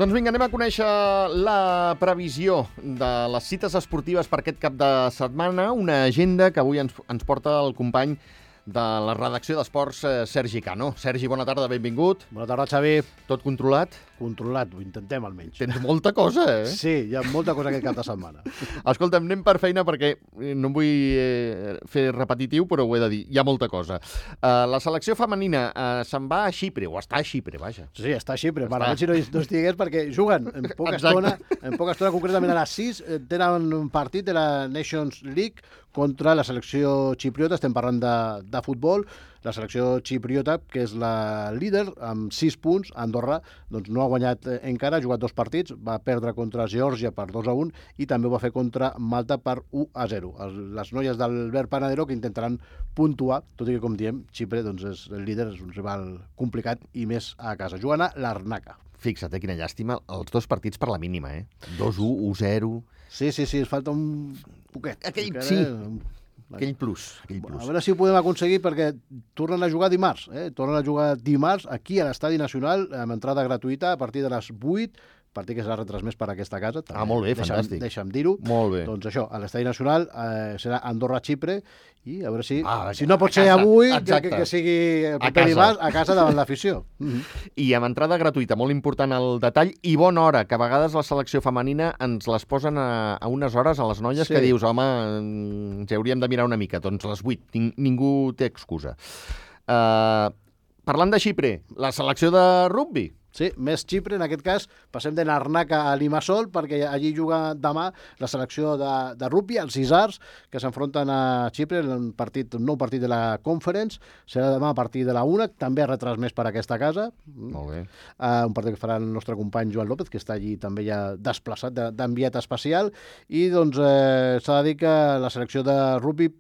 Doncs vinga, anem a conèixer la previsió de les cites esportives per aquest cap de setmana, una agenda que avui ens porta el company de la redacció d'Esports, Sergi Cano. Sergi, bona tarda, benvingut. Bona tarda, Xavi. Tot controlat? Controlat, ho intentem almenys. Tens molta cosa, eh? Sí, hi ha molta cosa aquest cap de setmana. Escolta'm, anem per feina perquè no em vull fer repetitiu, però ho he de dir, hi ha molta cosa. La selecció femenina se'n va a Xipre, o està a Xipre, vaja. Sí, està a Xipre. Malament si no estigués perquè juguen en poca estona, concretament a les 6, tenen un partit de la Nations League contra la selecció xipriota. Estem parlant de futbol. La selecció xipriota, que és la líder, amb 6 punts, Andorra, doncs no ha guanyat encara, ha jugat 2 partits, va perdre contra Geòrgia per 2-1 i també ho va fer contra Malta per 1-0. Les noies d'Albert Panadero que intentaran puntuar, tot i que, com diem, Xipre doncs, és el líder, és un rival complicat i més a casa. Jugant a Larnaca. Fixa't, quina llàstima, els 2 partits per la mínima, 2-1, 1-0... Sí, es falta un poquet. Aquell plus. A veure si ho podem aconseguir perquè tornen a jugar dimarts. Tornen a jugar dimarts aquí a l'Estadi Nacional amb entrada gratuïta a partir de les 8, partit que serà retransmès per aquesta casa. També. Molt bé, fantàstic. Deixa'm dir-ho. Molt bé. Doncs això, a l'Estadi Nacional serà Andorra-Xipre i a veure si no pot ser avui, que sigui el proper dimarts a casa davant l'afició. I amb entrada gratuïta, molt important el detall, i bona hora, que a vegades la selecció femenina ens les posen a unes hores a les noies que dius, home, ens hauríem de mirar una mica. Doncs les 8, ningú té excusa. Parlant de Xipre, la selecció de rugbi. Sí, més Xipre, en aquest cas passem de Larnaca a Limassol perquè allí juga demà la selecció de rugbi, els Isars, que s'enfronten a Xipre en un nou partit de la Conference. Serà demà a partir de la 1, també retransmès per aquesta casa. Molt bé. Un partit que farà el nostre company Joan López, que està allí també ja desplaçat d'enviat especial. I doncs s'ha de dir que la selecció de rugbi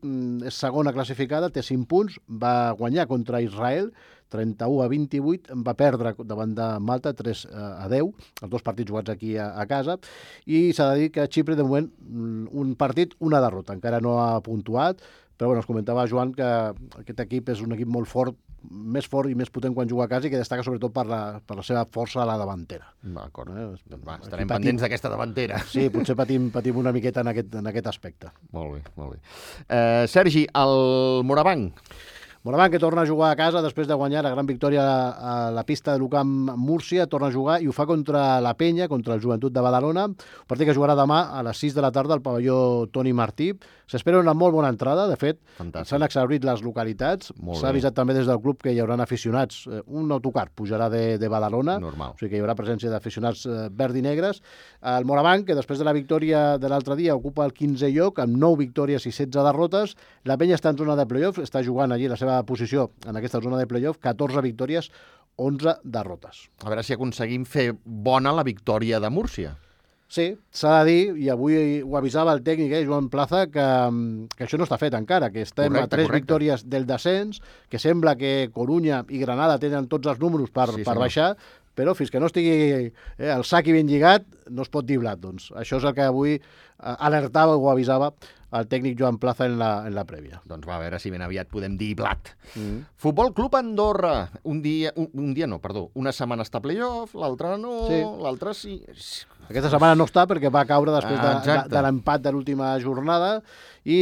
és segona classificada, té 5 punts, va guanyar contra Israel 31-28, va perdre davant de Malta 3-10, els 2 partits jugats aquí a casa, i s'ha de dir que Xipre, de moment, un partit, una derrota. Encara no ha puntuat, però bueno, ens comentava Joan que aquest equip és un equip molt fort, més fort i més potent quan juga a casa i que destaca sobretot per la seva força a la davantera. D'acord. Estarem pendents d'aquesta davantera. Sí, potser patim una miqueta en aquest aspecte. Molt bé. Sergi, el Morabanc. Morabanc, que torna a jugar a casa després de guanyar la gran victòria a la pista de l'UCAM Múrcia, torna a jugar i ho fa contra la Penya, contra el Joventut de Badalona, un partit que jugarà demà a les 6 de la tarda al pavelló Toni Martí. S'espera una molt bona entrada, de fet, s'han exhaurit les localitats, s'ha avisat també des del club que hi haurà aficionats, un autocar pujarà de Badalona, normal. O sigui que hi haurà presència d'aficionats verd i negres. El Morabanc, que després de la victòria de l'altre dia ocupa el 15è lloc, amb 9 victòries i 16 derrotes, la Penya està en zona de play-off, està jugant allí la seva posició en aquesta zona de play-off, 14 victòries, 11 derrotes. A veure si aconseguim fer bona la victòria de Múrcia. Sí, s'ha de dir, i avui ho avisava el tècnic, Joan Plaza, que això no està fet encara, que estem a 3 victòries del descens, que sembla que Corunya i Granada tenen tots els números per baixar, però fins que no estigui el sac ben lligat, no es pot dir blat. Doncs això és el que avui alertava o avisava el tècnic Joan Plaza en la prèvia. Doncs va, a veure si ben aviat podem dir blat. Futbol Club Andorra. Una setmana està a playoff, l'altra no, l'altra sí. Aquesta setmana no està perquè va caure després de l'empat de l'última jornada i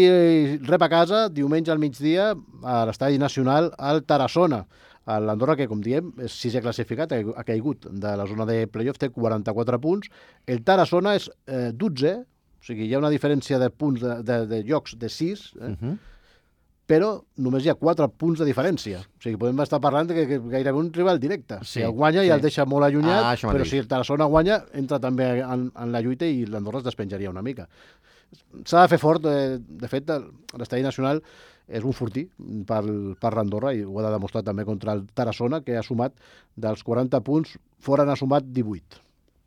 rep a casa diumenge al migdia a l'Estadi Nacional al Tarassona. L'Andorra, que com diem és 6è classificat, ha caigut de la zona de playoff, té 44 punts. El Tarassona és 12è, o sigui, hi ha una diferència de punts de llocs de 6, però només hi ha 4 punts de diferència. O sigui, podem estar parlant que gairebé un rival directe. Si el guanya ja el deixa molt allunyat, però si el Tarassona guanya, entra també en la lluita i l'Andorra es despenjaria una mica. S'ha de fer fort, de fet, l'Estadi Nacional és un fortí per l'Andorra i ho ha de demostrar també contra el Tarassona, que ha sumat dels 40 punts, fora n'ha sumat 18.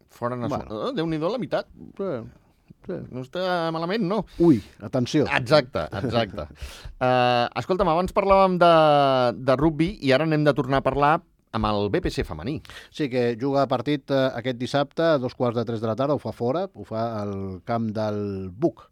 Fora n'ha sumat. Déu-n'hi-do la meitat. Sí. No està malament, no? Ui, atenció. Exacte. Escolta'm, abans parlàvem de rugbi i ara anem de tornar a parlar amb el BPC femení. Sí, que juga partit aquest dissabte a 2:45 de la tarda, ho fa fora, ho fa al camp del Buc.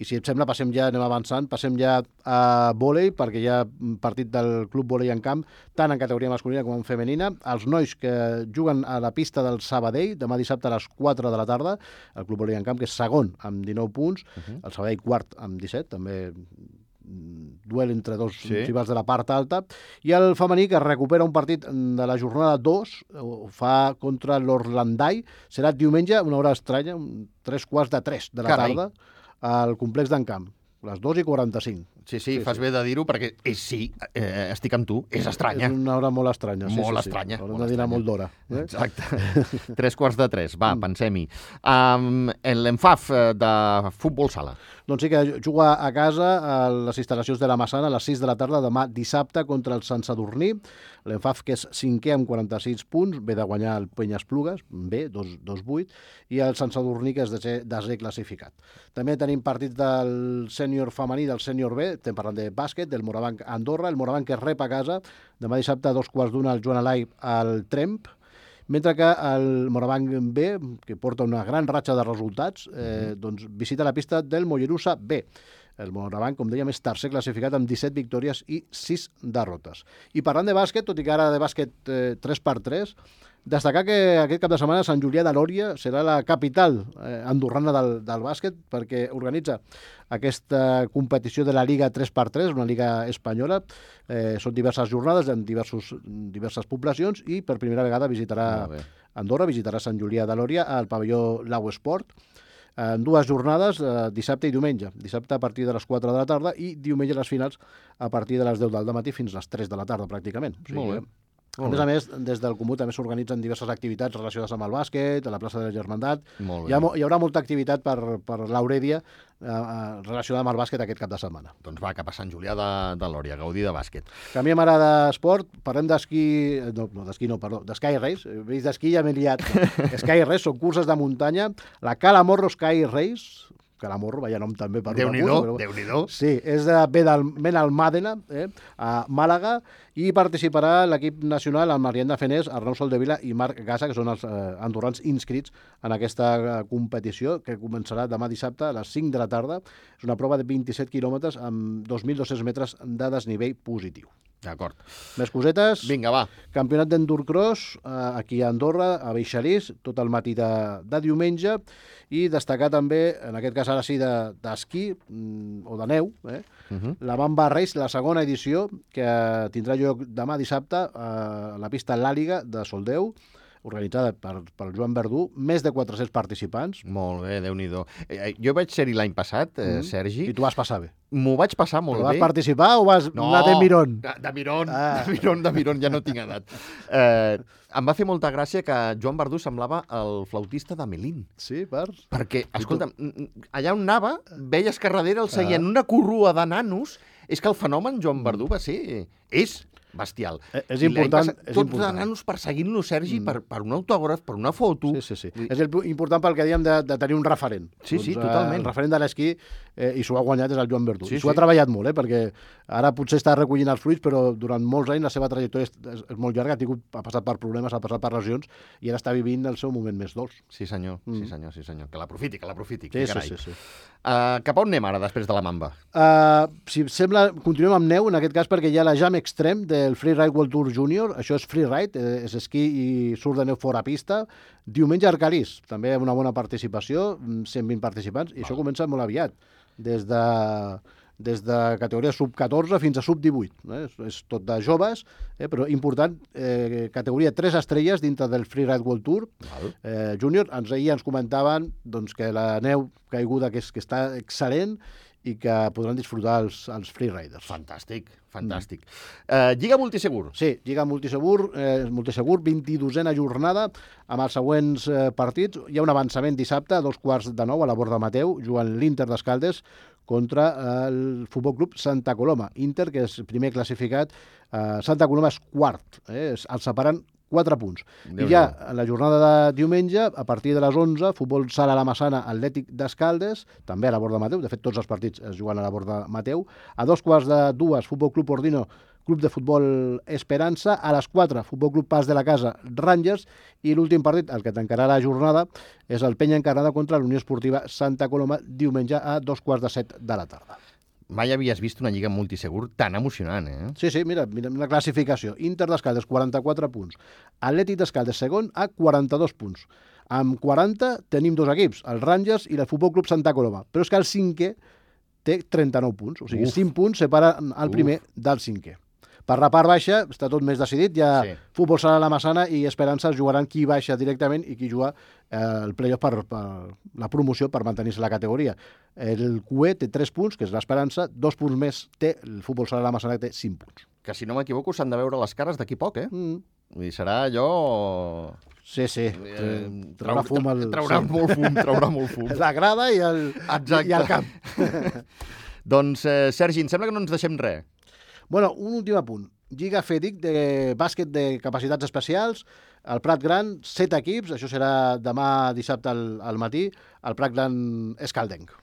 I si et sembla, anem avançant, passem ja a vòlei, perquè hi ha partit del Club Vòlei en Camp, tant en categoria masculina com en femenina. Els nois que juguen a la pista del Sabadell, demà dissabte a les 4 de la tarda, el Club Vòlei en Camp, que és segon amb 19 punts, el Sabadell quart amb 17, també duel entre dos rivals de la part alta, i el femení, que recupera un partit de la jornada 2, ho fa contra l'Orlandai, serà diumenge, una hora estranya, 3:45 de la tarda, al complex d'en Camp, les 2:45. Sí, fas bé de dir-ho, perquè estic amb tu, és estranya. És una hora molt estranya. Molt estranya. Haurem de dinar molt d'hora. Exacte. 3:45, va, pensem-hi. L'ENFAF de futbol sala. Doncs sí, que juga a casa a les instal·lacions de la Massana a les 6 de la tarda demà dissabte contra el Sant Sadurní. L'ENFAF, que és 5è amb 46 punts, ve de guanyar el Penyesplugues, bé, 2-8, i el Sant Sadurní, que és desè classificat. També tenim partits del sènior femení, del sènior B, estem parlant de bàsquet, del Morabanc Andorra, el Morabanc que rep a casa, demà dissabte a 2:15 al Joan Alai al Tremp, mentre que el Morabanc B, que porta una gran ratxa de resultats, doncs visita la pista del Mollerussa B. El Morabanc, com dèiem, és tercer classificat amb 17 victòries i 6 derrotes. I parlant de bàsquet, tot i que ara de bàsquet 3x3, destacar que aquest cap de setmana Sant Julià de Lòria serà la capital andorrana del bàsquet, perquè organitza aquesta competició de la Liga 3x3, una liga espanyola. Són diverses jornades en diverses poblacions i per primera vegada visitarà Andorra, visitarà Sant Julià de Lòria al pavelló Lau Esport en dues jornades, dissabte i diumenge. Dissabte a partir de les 4 de la tarda i diumenge les finals a partir de les 10 del matí fins a les 3 de la tarda, pràcticament. Molt bé. A més, des del Comú també s'organitzen diverses activitats relacionades amb el bàsquet, a la plaça de la Germandat. Hi haurà molta activitat per l'Aurèdia relacionada amb el bàsquet aquest cap de setmana. Doncs va, cap a Sant Julià de Lòria, gaudir de bàsquet. Canviem ara d'esport, parlem d'esquí, d'Sky Race. Veus d'esquí ja m'he liat. Sky Race són curses de muntanya, la Calamorro Sky Race, Calamorro, vaya nom també per una cursa. Déu-n'hi-do. Sí, és de Benalmàdena, a Màlaga, i participarà l'equip nacional amb Mariana Fenés, Arnau Soldevila i Marc Gassa, que són els andorrans inscrits en aquesta competició, que començarà demà dissabte a les 5 de la tarda. És una prova de 27 quilòmetres amb 2.200 metres de desnivell positiu. D'acord. Més cosetes. Vinga, va. Campionat d'Endurcross aquí a Andorra, a Beixarís, tot el matí de diumenge, i destacar també, en aquest cas ara sí, d'esquí o de neu, la Mamba Race, la segona edició, que tindrà lloc demà dissabte a la pista L'Àliga de Soldeu, organitzada per Joan Verdú, més de 400 participants. Molt bé, Déu-n'hi-do. Jo vaig ser-hi l'any passat, Sergi. I tu vas passar bé. M'ho vaig passar molt bé. Vas participar o vas anar de mirón? De mirón, ja no tinc edat. Em va fer molta gràcia que Joan Verdú semblava el flautista de Melín. Sí, perquè, escolta'm, allà on anava, veies que darrere el seguien una corrua de nanos. És que el fenomen Joan Verdú és bestial. És important. Tots de nanos perseguint-lo, Sergi, per un autògraf, per una foto. Sí. És important pel que dèiem de tenir un referent. Sí, totalment. El referent de l'esquí, i s'ho ha guanyat, és el Joan Verdú. I s'ho ha treballat molt, perquè ara potser està recollint els fruits, però durant molts anys la seva trajectòria és molt llarga, ha passat per problemes, ha passat per lesions, i ara està vivint el seu moment més dolç. Sí, senyor. Que l'aprofiti. Sí. Cap a on anem ara, després de la Mamba? Si sembla, continuem amb neu, en aquest cas perquè hi ha la Jam Extreme del Freeride World Tour Junior. Això és freeride, és esquí i surt de neu fora pista. Diumenge a Arcalís, també una bona participació, 120 participants, i això comença molt aviat, des de categoria sub-14 fins a sub-18. És tot de joves, però important, categoria 3 estrelles dintre del Freeride World Tour Junior. Ahir ens comentaven que la neu caiguda que està excel·lent i que podran disfrutar els freeriders. Fantàstic. Lliga Multisegur. Sí, Lliga Multisegur, 22a jornada, amb els següents partits. Hi ha un avançament dissabte a 8:45 a la Borda Mateu, jugant l'Inter d'Escaldes contra el Futbol Club Santa Coloma. Inter, que és primer classificat, Santa Coloma és quart. Els separen 4 punts. I ja a la jornada de diumenge, a partir de les 11, Futbol Sala La Massana, Atlètic d'Escaldes, també a la Borda Mateu, de fet tots els partits es juguen a la Borda Mateu. A 2:15, Futbol Club Ordino Club de Futbol Esperança. A les 4, Futbol Club Pas de la Casa, Rangers. I l'últim partit, el que tancarà la jornada, és el Penya Encarnada contra l'Unió Esportiva Santa Coloma, diumenge a 2:15 de la tarda. Mai havies vist una lliga multisegur tan emocionant, Sí, mira la classificació. Inter d'Escaldes, 44 punts. Atlètic d'Escaldes, segon, a 42 punts. Amb 40 tenim dos equips, el Rangers i el Futbol Club Santa Coloma. Però és que el cinquè té 39 punts. O sigui, 5 punts separen el primer del cinquè. Per la part baixa està tot més decidit. Ja Futbol Sala La Massana i Esperança jugaran qui baixa directament i qui juga el play-off per la promoció per mantenir-se la categoria. El QE té 3 punts, que és l'Esperança, 2 punts més té el Futbol Sala La Massana, que té 5 punts. Que si no m'equivoco s'han de veure les cares d'aquí poc, Vull dir, serà allò... Sí. Traurà fum. Traurà molt fum. La grada i el camp. Doncs, Sergi, em sembla que no ens deixem res. Bueno, un últim apunt. Lliga FEDIC de bàsquet de capacitats especials. El Prat Gran, 7 equips. Això serà demà dissabte al matí. El Prat Gran Escaldenc.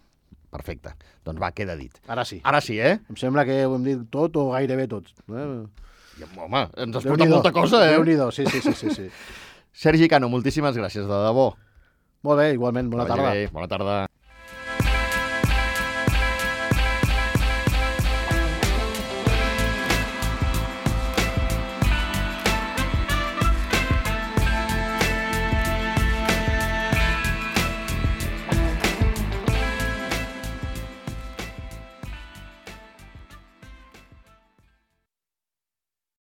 Perfecte. Doncs va, queda dit. Ara sí. Ara sí, Em sembla que ho hem dit tot o gairebé tot. Home, ens has portat molta cosa, Déu-n'hi-do, sí. Sergi Cano, moltíssimes gràcies, de debò. Molt bé, igualment, bona tarda. Bona tarda.